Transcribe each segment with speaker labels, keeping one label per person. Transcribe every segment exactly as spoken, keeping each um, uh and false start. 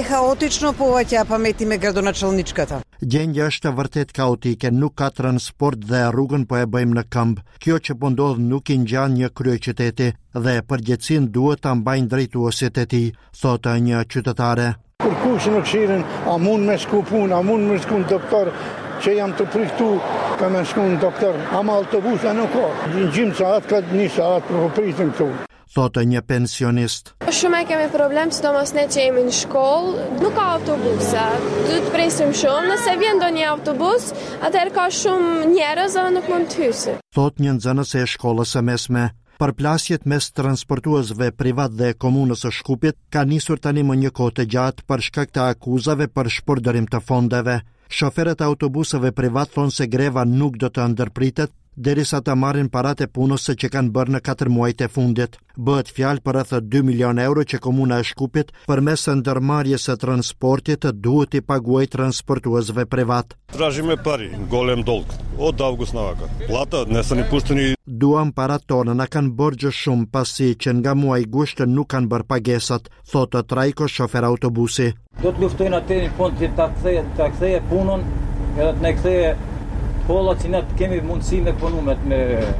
Speaker 1: Хаотично поваќа паметиме градоначалничката.
Speaker 2: Gjendja është vërtet kaotike, nuk ka transport dhe rrugën po e bëjmë në këmbë. Kjo që po ndodh nuk i ngjan një kryeqyteti dhe përgjegjësinë duhet ta mbajnë drejtuesit e tij, thotë një qytetare.
Speaker 3: Kur kush në këshirin, a mund me shku punë, a mund me shku në doktor, që jam të priktu ka me shku në doktor, ama autobusa nuk ka. Në gjimë saat, ka një saat për pritin këtu.
Speaker 2: Thotë një pensionist.
Speaker 4: Shumë e kemi problem, sidomos ne që jemi në shkollë, nuk ka autobusa. Duhet të presim shumë, nëse vjen ndonjë autobus, atëherë ka shumë njerëz dhe nuk mund të hyjë.
Speaker 2: Thotë një nxënëse e shkollës së mesme. Përplasjet mes transportuesve privat dhe komunës së Shkupit ka nisur tani më një kohë të gjatë për shkak të akuzave për shpërdorim të fondeve. Shoferët e autobuseve privat thonë se greva nuk do të ndërpritet derisa të marrin paratë e punës që kanë bërë në katër muajt e fundit. Bëhet fjalë për rreth dy milionë euro që komuna e Shkupit përmes ndërmarrjes së transportit duhet i paguajë transportuesve privat.
Speaker 5: Tražime pari, golem dolg, od avgust navaka. Plata nëse ne pušteni.
Speaker 2: Duam parat tona, na kanë borxhe shumë pasi që nga muaji gusht nuk kanë bërë pagesat, thotë Trajko, shofer autobusi.
Speaker 6: Do të luftojnë atë në fund të ta kthejë, ta kthejë punën, edhe të na kthejë kolla që ne kemi mundësi me punu me, me,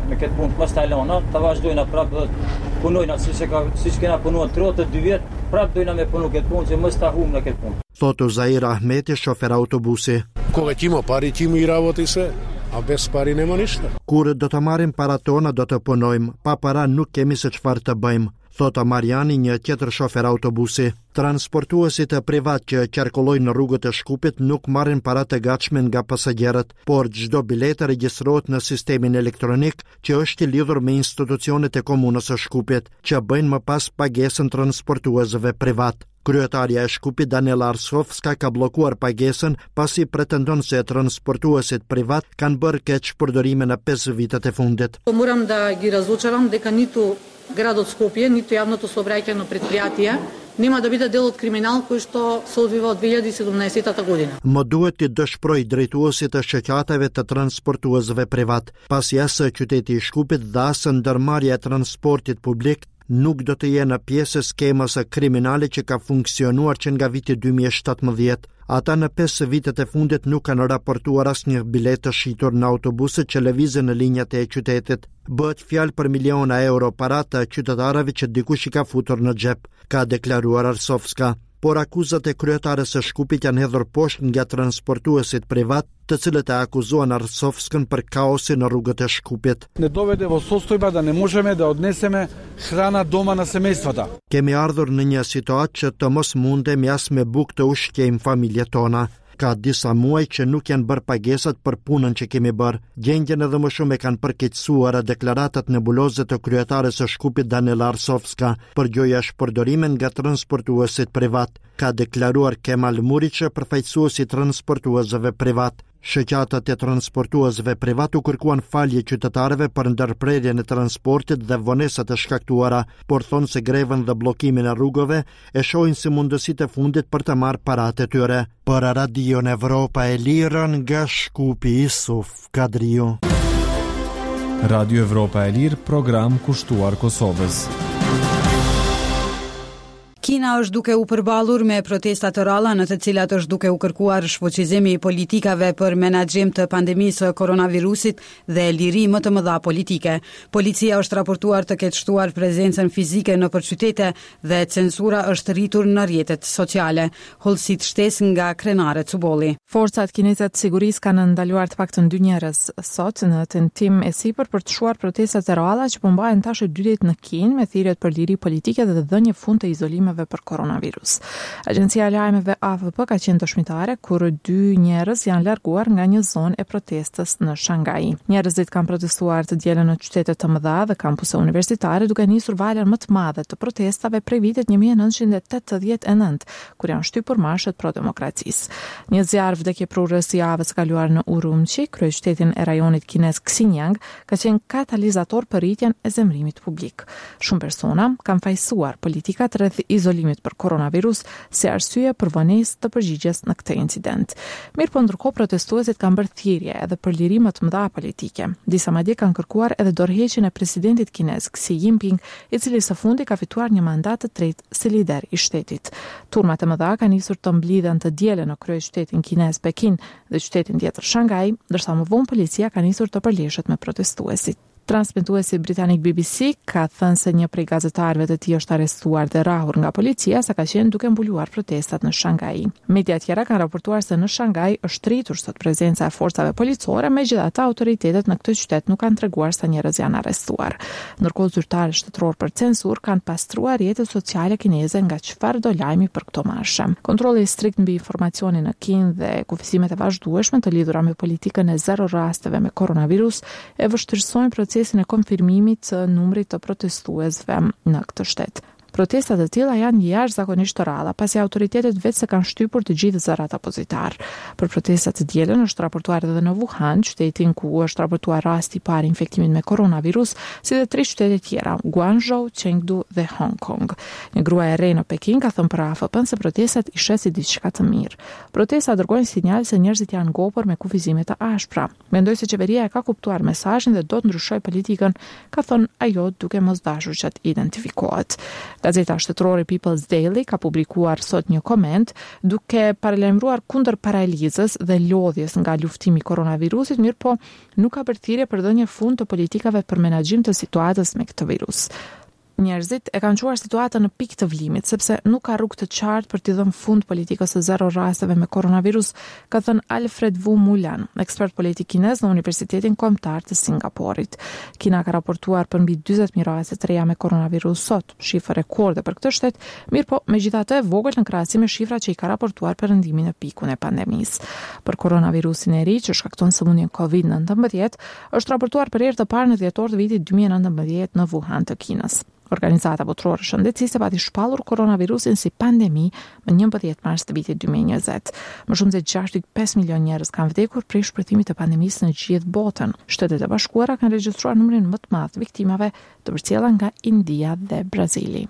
Speaker 6: me këtë punë, mos ta lëna, ta vazhdojna prapë dhe punojna siç e ka siç kena punuar tridhjetë dy vjet, prapë dojna me punu këtë punë që mos ta humbim në këtë punë.
Speaker 2: Thotë Uzair Ahmeti, shofer autobusi.
Speaker 7: Koga ćemo pari ćemo i ravoti se, a bez pari nema ništa.
Speaker 2: Kur do të marrim parat tona do të punojmë, pa para nuk kemi se çfarë të bëjmë, thotë Mariani, një tjetër shofer autobusi. Transportuesit e privat që qarkullojnë në rrugët e Shkupit nuk marrin paratë e gatshme nga pasagerët, por çdo biletë regjistrohet në sistemin elektronik që është i lidhur me institucionet e komunës së Shkupit, që bëjnë më pas pagesën transportuesve privat. Kryetaria e Shkupit Daniela Arsovska ka bllokuar pagesën pasi pretendon se transportuesit privat kanë bërë keq përdorime në pesë vitet e fundit.
Speaker 8: Moram da gi razočaram дека ниту градот Скопје, ниту јавното сообраќајно предпријатие нема да биде дел од криминал кој што се одвива од две илјади и седумнаесетта година.
Speaker 2: Më duhet të dëshproj drejtuesit e shoqatave të transportuesve privat, pasi as qyteti i Shkupit dhe as ndërmarrja e transportit publik nuk do të jenë pjesë e skemës së kriminale që ka funksionuar që nga viti dy mijë e shtatëmbëdhjetë. Ata në pesë vitet e fundit nuk kanë raportuar asnjë bilet të shitur në autobuset që lëvizën në linjat e qytetit. Bëhet fjalë për miliona euro para të qytetarëve që dikush i ka futur në xhep, ka deklaruar Arsovska. Por akuzat e kryetares së Shkupit janë hedhur poshtë nga transportuesit privat, të cilët e akuzuan Arsovskën për kaosin në rrugët e Shkupit.
Speaker 9: Ne доведе во состојба да не можеме да однесеме храна дома на семејствата.
Speaker 2: Kemi ardhur në një situatë që të mos mundemi as me bukë të ushqejmë familjet tona. Ka disa muaj që nuk janë bërë pagesat për punën që kemi bërë. Gjendjen edhe më shumë e kanë përkeqësuar deklaratat nebuloze të kryetares së Shkupit Daniela Arsovska për gjoja shpërdorime nga transportuesit privat, ka deklaruar Kemal Muriqe, përfaqësuesi i transportuesve privat. Shoqatat e transportuesve privat u kërkuan falje qytetarëve për ndërprerjen e transportit dhe vonesat e shkaktuara, por thonë se grevën dhe bllokimin e rrugëve e shohin si mundësitë e fundit për të marrë paratë e tyre. Për Radion Evropa e Lirë nga Shkupi, Isuf Kadriu.
Speaker 10: Radio Evropa e Lirë, program kushtuar Kosovës.
Speaker 11: Kina është duke u përballur me protesta të ralla në të cilat është duke u kërkuar shfuqizimi i politikave për menaxhim të pandemisë së koronavirusit dhe liri më të mëdha politike. Policia është raportuar të ketë shtuar prezencën fizike nëpër qytete dhe censura është rritur në rrjetet sociale. Hollësit shtesë nga krenare Cubolli.
Speaker 12: Forcat kineze të sigurisë kanë ndaluar të paktën dy njerëz sot në tentim e sipër për të shuar protestat e ralla që po mbahen tash dy ditë në Kinë me thirrjet për liri politike dhe dhënie fund të izolimeve për koronavirus. Agjencia e lajmeve A F P ka qenë dëshmitare kur dy njerëz janë larguar nga një zonë e protestës në Shanghai. Njerëzit kanë protestuar të dielën në qytete të mëdha dhe kampuse universitare duke nisur valën më të madhe të protestave prej vitit një mijë e nëntëqind e tetëdhjetë e nëntë, kur janë shtypur marshet pro demokracisë. Një zjarr vdekjeprurës i javës së kaluar në Urumqi, kryeqytetin e rajonit kinez Xinjiang, ka qenë katalizator për rritjen e zemrimit publik. Shumë persona kanë fajsuar politikat rreth izolimit për koronavirus si arsye për vonesë të përgjigjes në këtë incident. Mirë po ndërkohë protestuesit kanë bërë thirrje edhe për liri më të mëdha politike. Disa madje kanë kërkuar edhe dorëheqjen e presidentit kinez Xi Jinping, i cili së fundi ka fituar një mandat të tretë si lider i shtetit. Turmat e mëdha kanë nisur të mblidhen të dielën në kryeqytetin kinez Pekin dhe qytetin tjetër Shanghai, ndërsa më vonë policia ka nisur të përleshet me protestuesit. Transmetuesi britanik B B C ka thënë se një prej gazetarëve të tij është arrestuar dhe rrahur nga policia sa ka qenë duke mbuluar protestat në Shanghai. Media tjera kanë raportuar se në Shanghai është rritur sot prezenca e forcave policore, megjithatë autoritetet në këtë qytet nuk kanë treguar sa njerëz janë arrestuar. Ndërkohë zyrtarë shtetëror për censur kanë pastruar rrjetet sociale kineze nga çfarëdo lajmi për këto marshe. Kontrolli strikt mbi informacionin në Kinë dhe kufizimet e vazhdueshme të lidhura me politikën e zero rasteve me koronavirus e vështirësojnë procesin e konfirmimit të numrit të protestuesve në këtë shtet. Protestat e tilla janë jashtëzakonisht të rralla, pasi autoritetet vetë se kanë shtypur të gjithë zërat apozitar. Për protestat të dielën është raportuar edhe në Wuhan, qytetin ku është raportuar rasti i parë infektimit me koronavirus, si dhe tre qytete tjera, Guangzhou, Chengdu dhe Hong Kong. Një grua e re në Pekin ka thënë për A F P-n se protestat i sheh si diçka të mirë. Protestat dërgojnë sinjal se njerëzit janë ngopur me kufizime të ashpra. Mendoj se qeveria e ka kuptuar mesazhin dhe do të ndryshojë politikën, ka thënë ajo duke mos dashur që të identifikohet. Gazeta shtetërore People's Daily ka publikuar sot një koment duke paralajmëruar kundër paralizës dhe lodhjes nga luftimi i koronavirusit, mirë po nuk ka përthirrje për dhënje fund të politikave për menaxhim të situatës me këtë virus. Njerëzit e kanë çuar situatën në pikë të vlimit, sepse nuk ka rrugë të qartë për t'i dhënë fund politikës së zero rasteve me koronavirus, ka thënë Alfred Wu Mulan, ekspert politik kinez në Universitetin Kombëtar të Singaporit. Kina ka raportuar për mbi dyzet mijë raste të reja me koronavirus sot, shifër rekorde për këtë shtet, mirë po megjithatë e vogël në krahasim me shifrat që i ka raportuar perëndimin në pikun e pandemisë. Për koronavirusin e ri që shkakton sëmundjen covid nineteen, është raportuar për herë të parë në dhjetor të vitit dy mijë e nëntëmbëdhjetë në Wuhan të Kinës. Organizata Botërore Shëndetësisë pati shpallur koronavirusin si pandemi më njëmbëdhjetë mars të vitit dy mijë e njëzet. Më shumë se gjashtë pikë pesë milion njerëz kanë vdekur prej shpërthimit të pandemisë në gjithë botën. Shtetet e Bashkuara kanë regjistruar numrin më të madh të viktimave, të përcjella nga India dhe Brazili.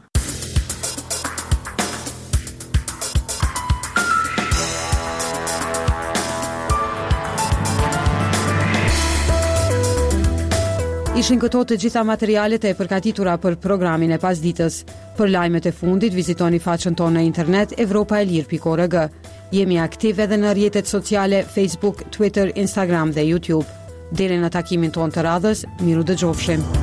Speaker 11: Ishin këto të gjitha materialet e përgatitura për programin e pasditës. Për lajmet e fundit, vizitoni faqen tonë në internet evropa e lir pikë org. Jemi aktiv edhe në rrjetet sociale Facebook, Twitter, Instagram dhe YouTube. Deri në takimin tonë të radhës, miru dëgjofshim.